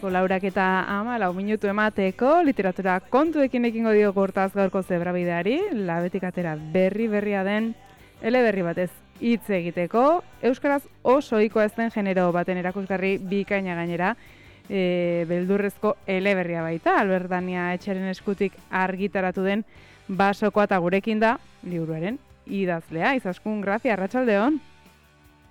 Laurak eta 14 minutu emateko literatura kontuekin ekingo dio gortaz gaurko zebrabideari, labetik atera berria den eleberri batez hitz egiteko, euskaraz oso ohikoa ez den genero baten erakusgarri bikaina gainera, beldurrezko eleberria baita, Albert Dania Etxeren eskutik argitaratu den Basokoa, eta gurekin da liburuaren idazlea. Izaskun, grazia, arratsaldeon.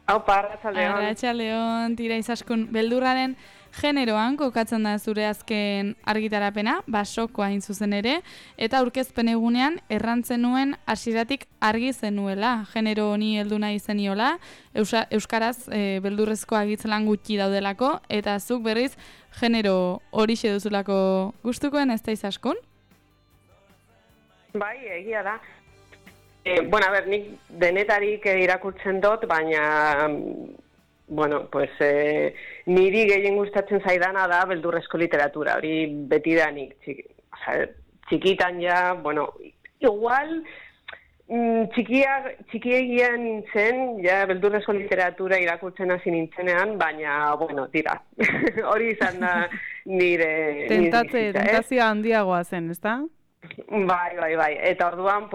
Aupa, arratsaldeon. Arratsaldeon, tira Izaskun, beldurraren generoan kokatzen da zure azken argitarapena, Basokoa hain zuzen ere, eta aurkezpen egunean errantzen nuen hasieratik argi zenuela, genero honi heldu nahi zeniola, euskaraz beldurrezko agitzelan gutxi daudelako, eta zuk berriz genero horixe duzulako gustukoen, ez da Izaskun? Bai, egia da. Nik denetarik irakurtzen dut, baina niri gehien gustatzen zaidana da beldurrezko literatura, hori betidanik. Txikitan ja, igual txikiegian nintzen, ja beldurrezko literatura irakurtzen hasi nintzenean, baina, tira, hori izan da nire... Tentazioa handiagoa zen, ezta? Bai. Eta orduan,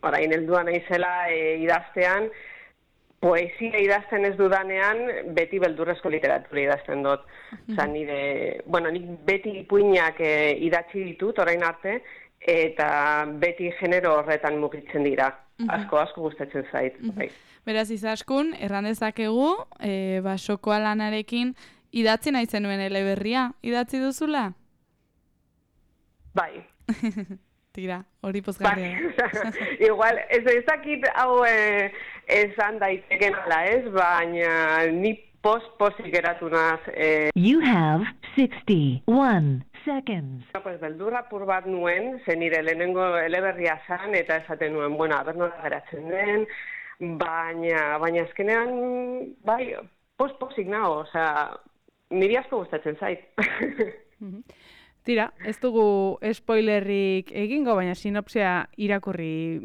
orain helduan naizela idaztean, poesia idazten ez dudanean, beti beldurrezko literatura idazten dut. Nik beti ipuinak idatzi ditut orain arte, eta beti genero horretan mugitzen dira. Asko gustatzen zait. Beraz, Izaskun, erran dezakegu, Basokoa lanarekin idatzi nahi zenuen eleberria. Idatzi duzula? Bai. Tira, hori pozgarria. Igual, ez dakit hau esan daiteken ala ez, baina ni pozik geratu naz. You have 61 seconds. Beldurra pur bat nuen, zen nire lehenengo eleberria zan, eta esaten nuen, aber nola geratzen den, baina azkenean, pozik nago, niri asko gustatzen zait. Tira, ez dugu spoilerrik egingo, baina sinopsia irakurri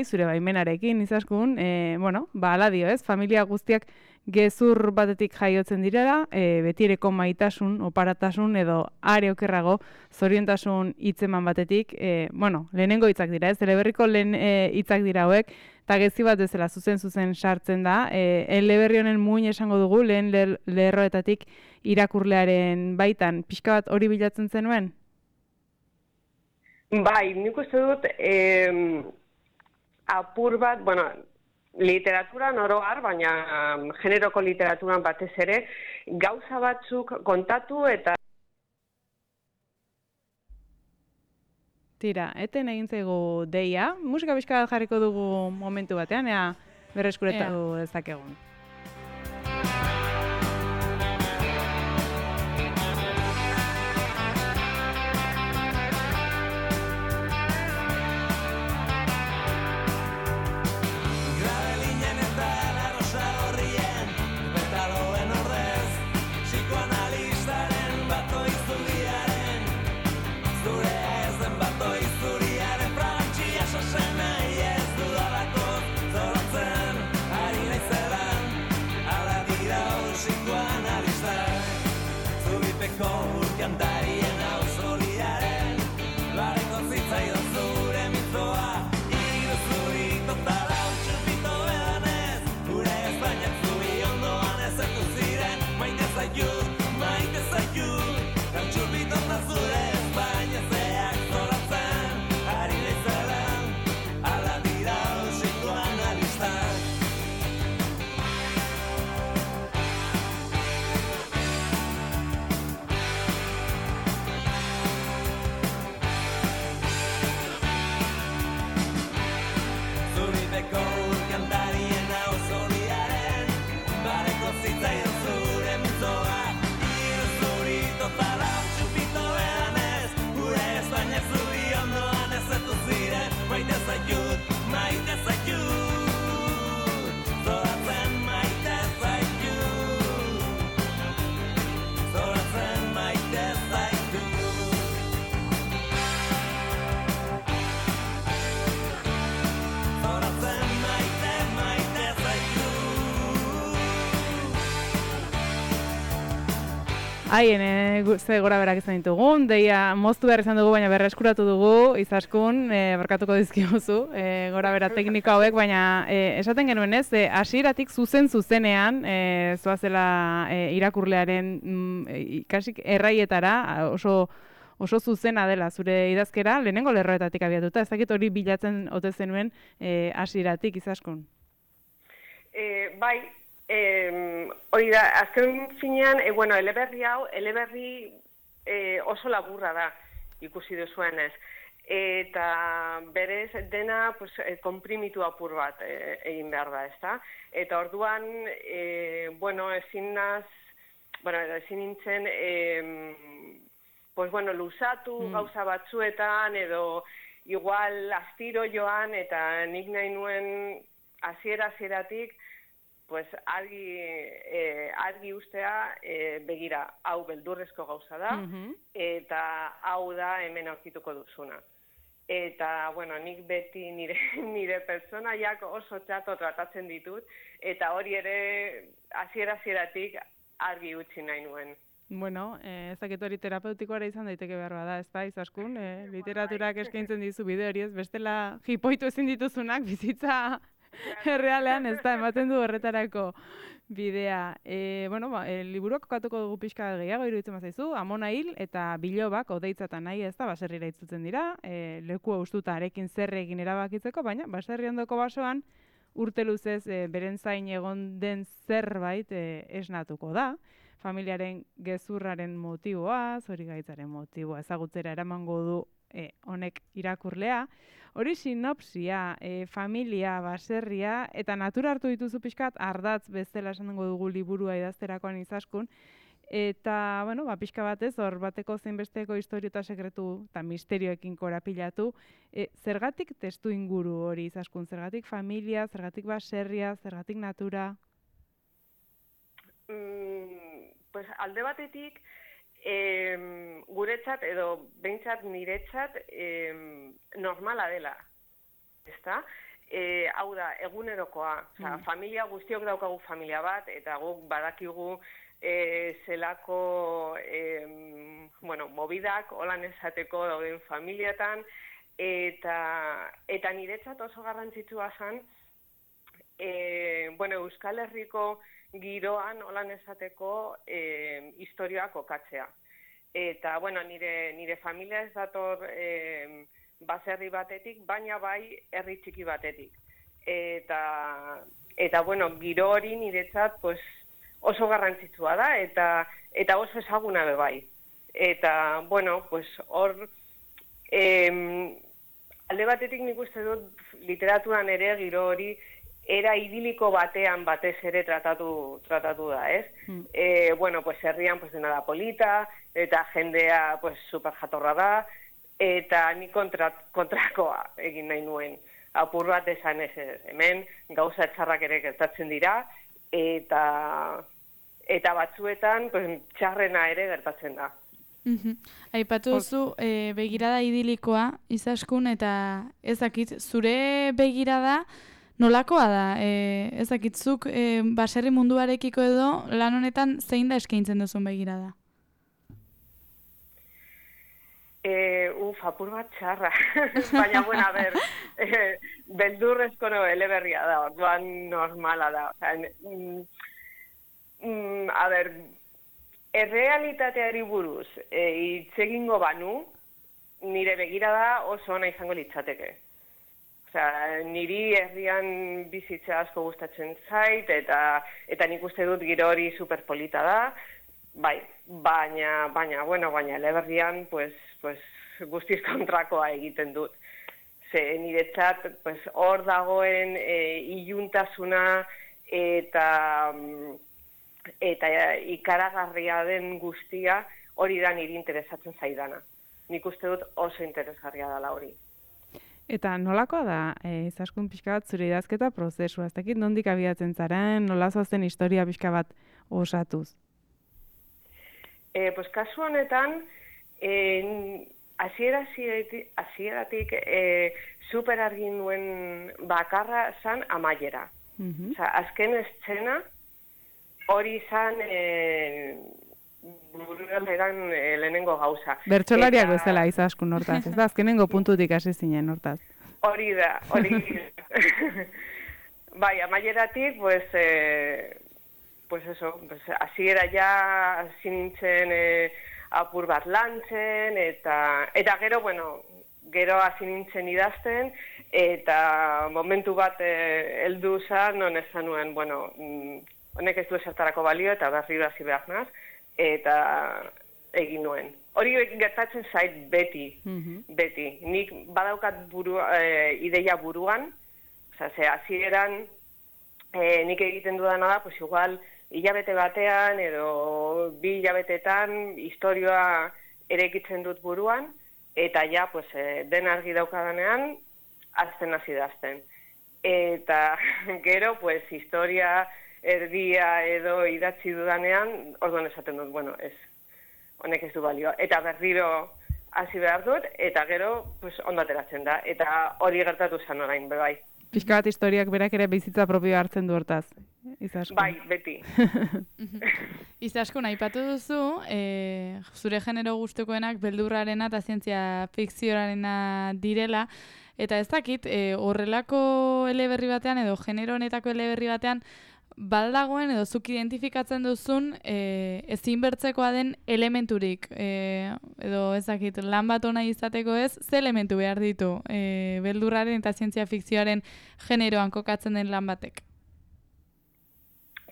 zure baimenarekin, Izaskun, ala dio ez, familia guztiak gezur batetik jaiotzen direla, betireko maitasun, oparatasun edo are okerrago zoriontasun hitzeman batetik, lehenengo hitzak dira ez, eleberriko lehen hitzak dira hauek, eta gezi bat bezala zuzen sartzen da, eleberri honen muin esango dugu, lehen lerroetatik irakurlearen baitan, pixka bat hori bilatzen zenuen? Bai, nik uste dut apur bat, literaturan oroar, baina generoko literaturan batez ere, gauza batzuk kontatu eta... Tira, eten egin zaigu deia, musika pixka bat jarriko dugu momentu batean, ea berreskuretatu dezakegun. Ari naizelan Haien ze gora berak izan ditugun, deia moztu behar izan dugu, baina berreskuratu dugu, Izaskun, barkatuko dizkiguzu, gora bera tekniko hauek, baina esaten genuen ez, hasieratik zuzenean, zoazela irakurlearen ikasik erraietara, oso zuzena dela zure idazkera, lehenengo lerroetatik abiatuta, ez dakit hori bilatzen ote zenuen hasieratik, Izaskun. Bai, hori da, azken finean, eleberri oso laburra da, ikusi duzuenez. Eta berez dena konprimitu apur bat egin behar da, ezta? Eta orduan, ezin nintzen, luzatu gauza batzuetan, edo igual astiro joan, eta nik nahi nuen hasieratik, argi ustea, begira, hau beldurrezko gauza da, eta hau da hemen aurkituko duzuna. Eta, nik beti nire pertsonaiak oso txato tratatzen ditut, eta hori ere hasieratik argi utzi nahi nuen. Bueno, ez dakit hori terapeutikoa izan daiteke behar bada, ez da, Izaskun? Literaturak eskaintzen dizu bide hori ez, bestela jipoitu ezin dituzunak bizitza errealean, ez da, ematen du horretarako bidea. Liburuak kokatuko dugu pixka gehiago iruditzen bazaizu, Amona hil eta Bilobak odeitzatan nahi, ez da, baserrira itzutzen dira, leku hustuta arekin zer egin erabakitzeko, baina baserri ondoko basoan urte luzez beren zain egon den zerbait esnatuko da. Familiaren gezurraren motiboa, zorigaitzaren motiboa ezagutzera eramango du honek irakurlea. Hori sinopsia, familia, baserria, eta natura hartu dituzu pixkat ardatz bezala esan dugu liburua idazterakoan Izaskun. Eta, pixka batez, hor bateko zeinbesteko istorio eta sekretu eta misterioekin korapilatu. Zergatik testu inguru hori Izaskun? Zergatik familia, zergatik baserria, zergatik natura? Alde batetik, guretzat edo behintzat niretzat normala dela, ezta? Hau da, egunerokoa, familia guztiok daukagu familia bat, eta guk badakigu zelako mobidak holan esateko dauden familiatan, eta niretzat oso garrantzitsua zen, Euskal Herriko giroan holan esateko historioa kokatzea. Eta, nire familia ez dator baserri batetik, baina bai herri txiki batetik. Eta giro hori niretzat oso garrantzitsua da, eta oso ezaguna be bai. Eta, hor, alde batetik nik uste dut literaturan ere giro hori era idiliko batean batez ere tratatu da, ez? Herrian dena da polita, eta jendea super jatorra da, eta ni kontrakoa egin nahi nuen. Apur bat esan ez, hemen gauza txarrak ere gertatzen dira, eta batzuetan txarrena ere gertatzen da. Aipatu duzu begirada idilikoa, Izaskun, eta ezakit, zure begirada nolakoa da? Ezakitzuk baserri munduarekiko edo lan honetan zein da eskaintzen duzun begirada? Apur bat txarra. Baina, beldurrezko eleberria da, orduan normala da. Errealitateari buruz hitz egingo banu, nire begirada oso ona izango litzateke. Niri herrian bizitza asko gustatzen zait, eta nik uste dut giro hori superpolita da, baina eleberrian guztiz kontrakoa egiten dut. Niretzat hor dagoen iluntasuna eta ikaragarria den guztia hori da niri interesatzen zaidana. Nik uste dut oso interesgarria dela hori. Eta nolakoa da, Izaskun pixka bat zure idazketa prozesua? Ez dakit nondik abiatzen zaren, nola zoazten historia pixka bat osatuz? Kasu honetan, hasieratik super argi nuen bakarra zan amaiera. Azken eszena hori zan buru eran lehenengo gauza. Bertsolariak bezala Izaskun hortaz, ez da, azkenengo puntutik hasi zinen hortaz. Hori da. Bai, amaieratik, pues eso, pues hasiera ja hasi nintzen apur bat lantzen, eta gero, bueno, gero hasi nintzen idazten, eta momentu bat heldu zan, non esan nuen, bueno, honek ez du esertarako balio, eta berriro hasi behar naz, eta egin nuen. Hori gertatzen zait beti. Nik badaukat ideia buruan, ze hasieran nik egiten dudana da, pues igual, hilabete batean edo 2 hilabetetan historioa erekitzen dut buruan, eta ja, pues, den argi daukadanean, azten hasi dazten. Eta gero, pues, historia erdia edo idatzi dudanean, orduan esaten dut, bueno, ez, honek ez du balioa. Eta berriro hasi behar dut, eta gero, pues, ondo ateratzen da. Eta hori gertatu zan orain, bai. Pixka bat historiak berak ere bizitza propioa hartzen du hortaz, Izaskun. Bai, beti. Izaskun, aipatu duzu, zure genero gustukoenak beldurrarena eta zientzia fikziorarena direla, eta ez dakit, horrelako eleberri batean edo genero honetako eleberri batean, baldagoen edo zuk identifikatzen duzun ezinbertzekoa den elementurik, edo ezakit, lan bat ona izateko ez, ze elementu behar ditu beldurraren eta zientzia fikzioaren generoan kokatzen den lan batek?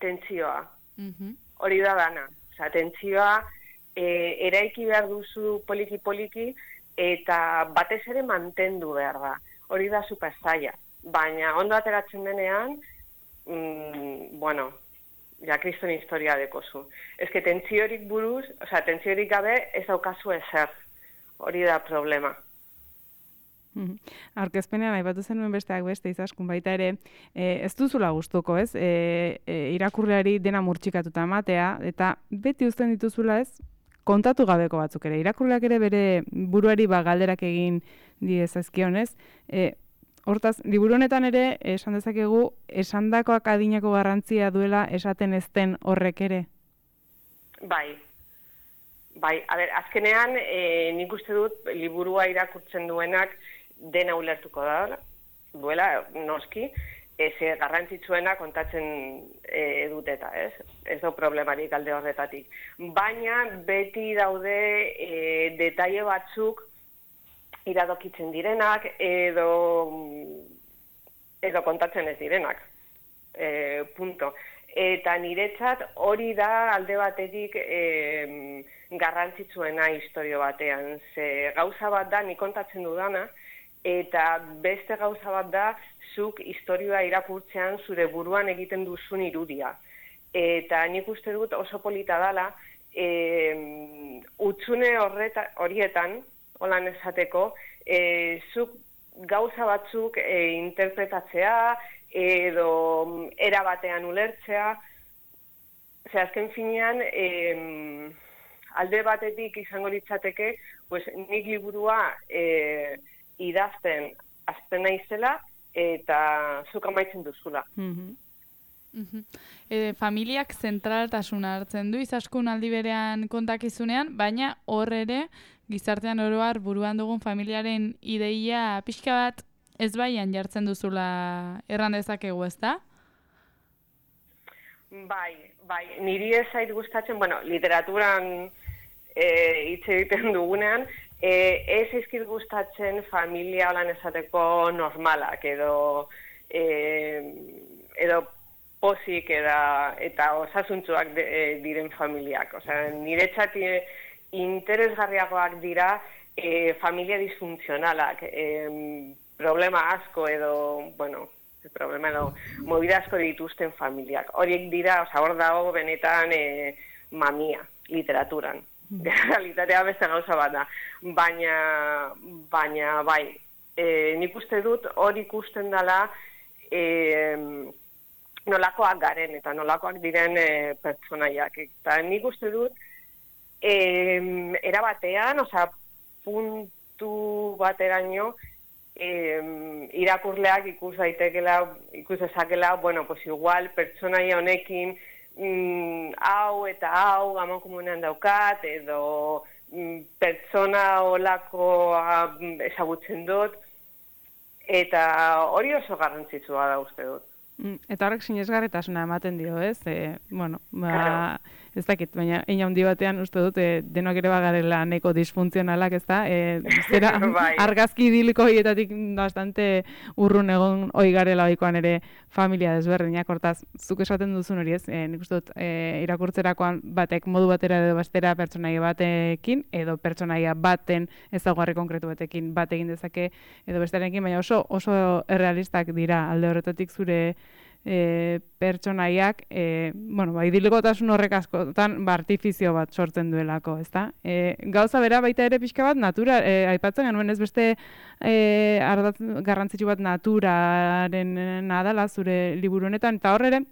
Tentsioa. Hori da dana. Osa, tentsioa eraiki behar duzu poliki-poliki eta batez ere mantendu behar da. Hori da super zaila. Baina ondo ateratzen denean, bueno, ja kriston historia dekozu. Ez que tentsiorik buruz, oza, tentsiorik gabe ez daukazu ezer. Hori da problema. Aurkezpenean aipatu zenuen besteak beste Izaskun baita ere, ez duzula gustuko, ez? Irakurleari dena murtxikatuta ematea, eta beti uzten dituzula, ez? Kontatu gabeko batzuk ere. Irakurleak ere bere buruari galderak egin diezazkion, ez? Hortaz, liburu honetan ere, esan dezakegu, esandakoak adinako garrantzia duela esaten ez den horrek ere? Bai. A ber, azkenean, nik uste dut, liburua irakurtzen duenak dena ulertuko duela, noski, garrantzitsuena kontatzen duteta, ez? Ez da problemarik alde horretatik. Baina, beti daude detaile batzuk iradokitzen direnak edo kontatzen ez direnak. Punto. Eta niretzat hori da alde batetik garrantzitsuena historio batean. Ze gauza bat da nik kontatzen dudana, eta beste gauza bat da zuk historioa irakurtzean zure buruan egiten duzun irudia. Eta nik uste dut oso polita dela, hutsune horietan, holan esateko, zuk gauza batzuk interpretatzea edo era batean ulertzea. Ze azken finean, alde batetik izango litzateke, pues, nik liburua idazten azten naizela eta zuk amaitzen duzula. Familiak zentraltasuna hartzen du Izaskun aldi berean kontakizunean, baina hor ere gizartean oro har buruan dugun familiaren ideia pixka bat ezbaian jartzen duzula erran dezakegu, ezta? Bai, niri ez zait gustatzen, bueno, literaturan hitz egiten dugunean, ez izkit gustatzen familia holan esateko normalak edo pozik eta osasuntsuak diren familiak. Osea, niretzat interesgarriagoak dira familia disfuntzionalak, problema asko edo, bueno, problema edo movida asko dituzten familiak. Horiek dira, hor dago benetan mamia, literaturan. Realitatea beste gauza bat da. Baina bai, nik uste dut hori ikusten dela nolakoak garen eta nolakoak diren pertsonaiak. Eta nik uste dut erabatean, puntu bateraino, irakurleak ikus dezakela, bueno, pues igual pertsonaia honekin hau eta hau amankomunean daukat, edo pertsona olakoa ezagutzen dut, eta hori oso garrantzitsua da uste dut. Eta horrek sinesgarritasuna ematen dio, ez? Ez dakit, baina hein handi batean uste dut denok ere bagarela neko disfuntzionalak, ez da? Zera, argazki idiliko horietatik bastante urrun egon hoi garela ohikoan ere familia desberdinak, hortaz, zuk esaten duzun hori, ez? Nik uste dut irakurtzerakoan batek modu batera edo bestera pertsonaia batekin, edo pertsonaia baten ezaugarri konkretu batekin bat egin dezake, edo bestearekin, baina oso errealistak dira alde horretatik zure pertsonaiak, idilikotasun horrek askotan artifizio bat sortzen duelako, ezta? Gauza bera baita ere pixka bat natura, aipatzen genuen ez beste ardatz garrantzitsu bat naturaren nadala zure liburu honetan, eta hor ere,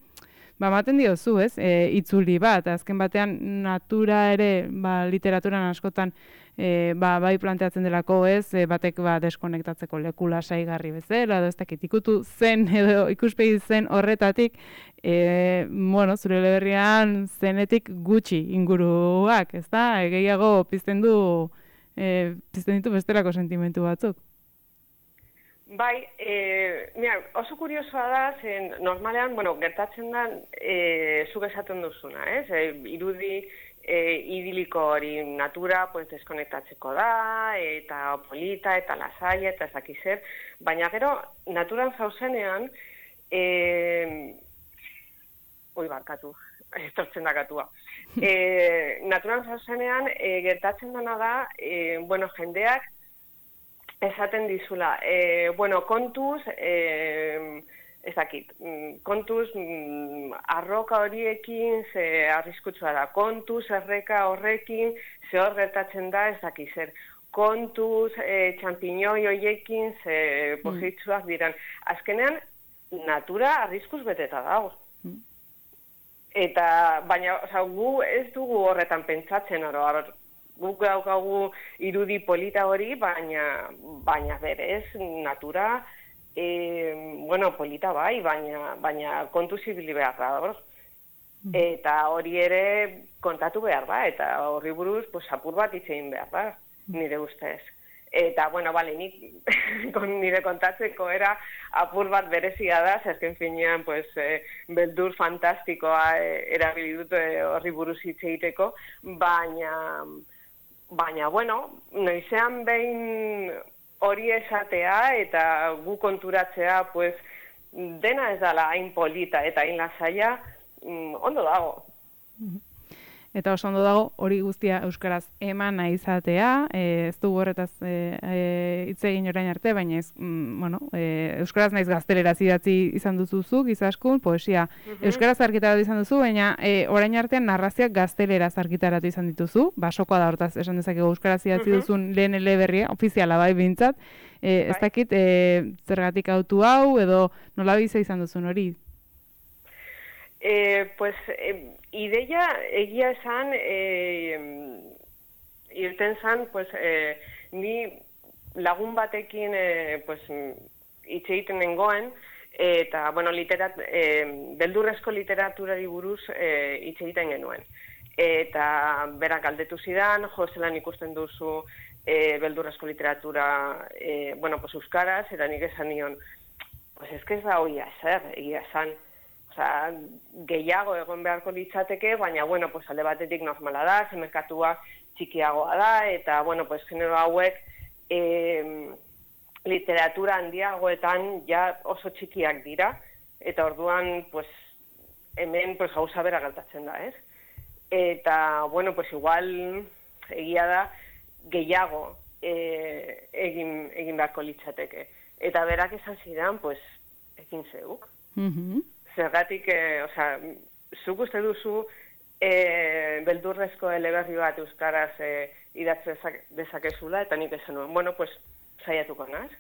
ematen diozu, ez? Itzuli bat, azken batean natura ere, literaturan askotan bai planteatzen delako, ez? Batek deskonektatzeko leku lasaigarri bezala, edo ez dakit ikutu zen edo ikuspegi zen horretatik, zure eleberrian zenetik gutxi inguruak, ez da? Gehiago pizten ditu bestelako sentimentu batzuk. Bai, oso kuriosoa da, zen normalean, gertatzen da, zuk esaten duzuna, ez? Irudi idiliko hori natura deskonektatzeko da, eta polita, eta lasaia, eta ezaki zer, baina gero, naturan zauzenean, barkatu, estortzen da katua. Naturan zauzenean, gertatzen dena da, jendeak, esaten dizula, kontuz, ez dakit, kontuz arroka horiekin ze arriskutsua da, kontuz erreka horrekin ze hor gertatzen da ez dakit zer, kontuz txampiñoi horiekin ze pozitsuak diran. Azkenean, natura arriskuz beteta dago. Eta, baina, gu ez dugu horretan pentsatzen oro, guk daukagu irudi polita hori, baina berez natura, polita bai, baina kontuz ibili behar da, eta hori ere kontatu behar da, eta horri buruz apur bat hitz egin behar da, nire ustez. Eta, nik nire kontatzeko era apur bat berezia da, zazken finean, beldur fantastikoa erabili dut horri buruz hitz egiteko, baina, noizean behin hori esatea eta gu konturatzea, dena ez dala hain polita eta hain lasaia, ondo dago. Eta oso ondo dago hori guztia euskaraz eman nahi izatea, ez dugu horretaz hitz egin orain arte, baina euskaraz naiz gazteleraz idatzi izan duzuzuk, izaskun, poesia euskaraz argitaratu izan duzu, baina orain artean narrazioak gazteleraz argitaratu izan dituzu, basokoa da hortaz esan dezakegu euskaraz idatzi duzun lehen eleberria, ofiziala bai behintzat, ez dakit zergatik autu hau edo nola biza izan duzun hori? Ideia egia esan, irten zan, ni lagun batekin hitz egiten nengoen, eta, beldurrezko literaturari buruz hitz egiten genuen. Eta berak galdetu zidan, zelan ikusten duzu beldurrezko literatura, euskaraz, eta nik esan nion, ez da hoia zer, egia esan, gehiago egon beharko litzateke, baina, alde batetik normala da, zemerkatua txikiagoa da, eta, genero hauek literatura handiagoetan ja oso txikiak dira, eta orduan, hemen gauza bera gertatzen da, ez? Eta, igual egia da gehiago egin beharko litzateke. Eta berak esan zidan, ekin zeuk. Zergatik, zuk uste duzu beldurrezko eleberri bat euskaraz idatze dezakezula, eta nik esan nuen, saiatuko naz.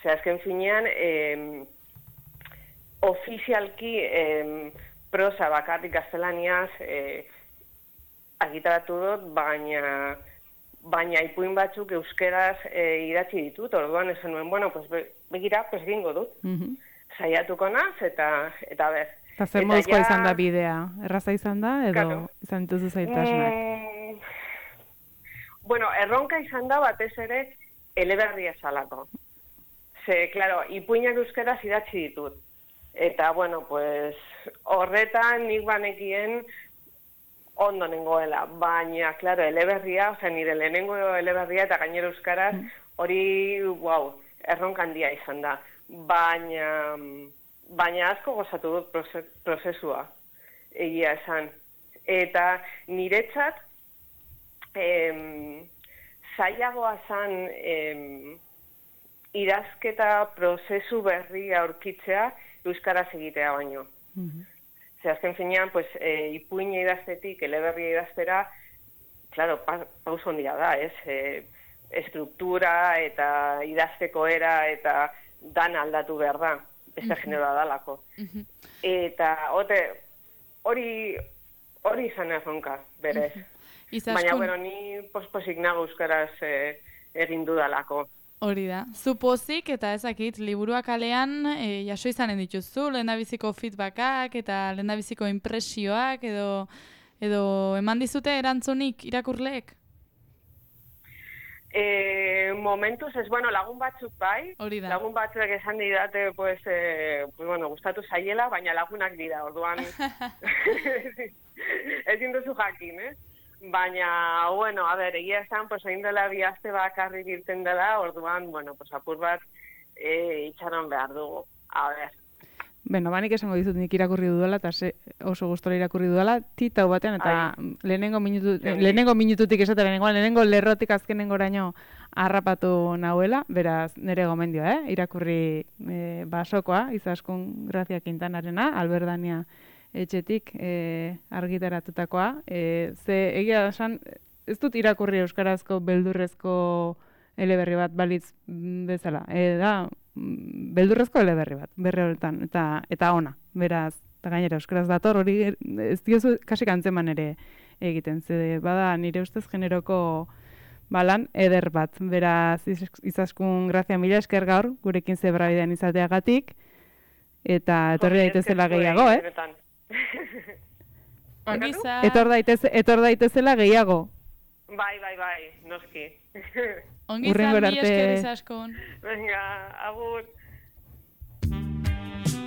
Azken finean, ofizialki prosa bakarrik gaztelaniaz argitaratu dut, baina ipuin batzuk euskeraz idatzi ditut, orduan esan nuen, begira, egingo dut. Saiatuko naz, eta ber. Eta zer moduzkoa izan da bidea? Erraza izan da edo Claro. izan dituzu zailtasunak? Bueno, erronka izan da batez ere eleberria esalako. Ze, claro, ipuinak euskaraz idatzi ditut. Eta, bueno, pues, horretan nik banekien ondo nengoela. Baina, claro, eleberria, nire lehenengo eleberria eta gainera euskaraz, hori, wow, erronka handia izan da. Baina asko gozatu dut prozesua, egia esan. Eta niretzat, zailagoa zan idazketa prozesu berria aurkitzea euskaraz egitea baino. Ze azken finean, pues, ipuina idaztetik, eleberria idaztera, claro, pauso handia da, ez? Estruktura eta idazteko era eta dan aldatu behar da, beste generoa dalako. Eta hori izan erronka, berez. Baina, bueno, ni pospozik nago euskaraz egin dudalako. Hori da. Zu pozik eta ezakit, liburuak alean jaso izanen dituzu, lehendabiziko feedbackak eta lehendabiziko impresioak edo eman dizute erantzunik irakurleek? Momentuz ez, bueno, lagun batzuk bai, lagun batzuk esan didate, pues, bueno, gustatu zaiela, baina lagunak dira, orduan ezin duzu jakin, Baina, bueno, a ber, egia esan, pues, egin dela 2 aste bakarrik irten dela, orduan, bueno, pues, apur bat itxaron behar dugu, a ber. Beno, banik esango dizut nik irakurri dudala, eta oso gustora irakurri dudala, titau batean, eta lehenengo minututik esatera lehenengo lerrotik azkenengoraino harrapatu nahuela, beraz, nire gomendioa, irakurri Basokoa, Izaskun Grazia Quintanarena, Alberdania etxetik argitaratutakoa. Ze egia esan, ez dut irakurri euskarazko beldurrezko eleberri bat balitz bezala. Da, beldurrezko eleberri bat, berri horretan, eta ona, beraz, eta gainera euskaraz dator, hori ez diozu kasik antzeman ere egiten. Ze bada nire ustez generoko balan eder bat. Beraz, Izaskun Grazia, mila esker gaur, gurekin zebrabidean izateagatik, eta etorri daitezela gehiago, Etor daitezela gehiago. Bai, noski. Ongi izan, mila esker Izaskun. Venga, agur.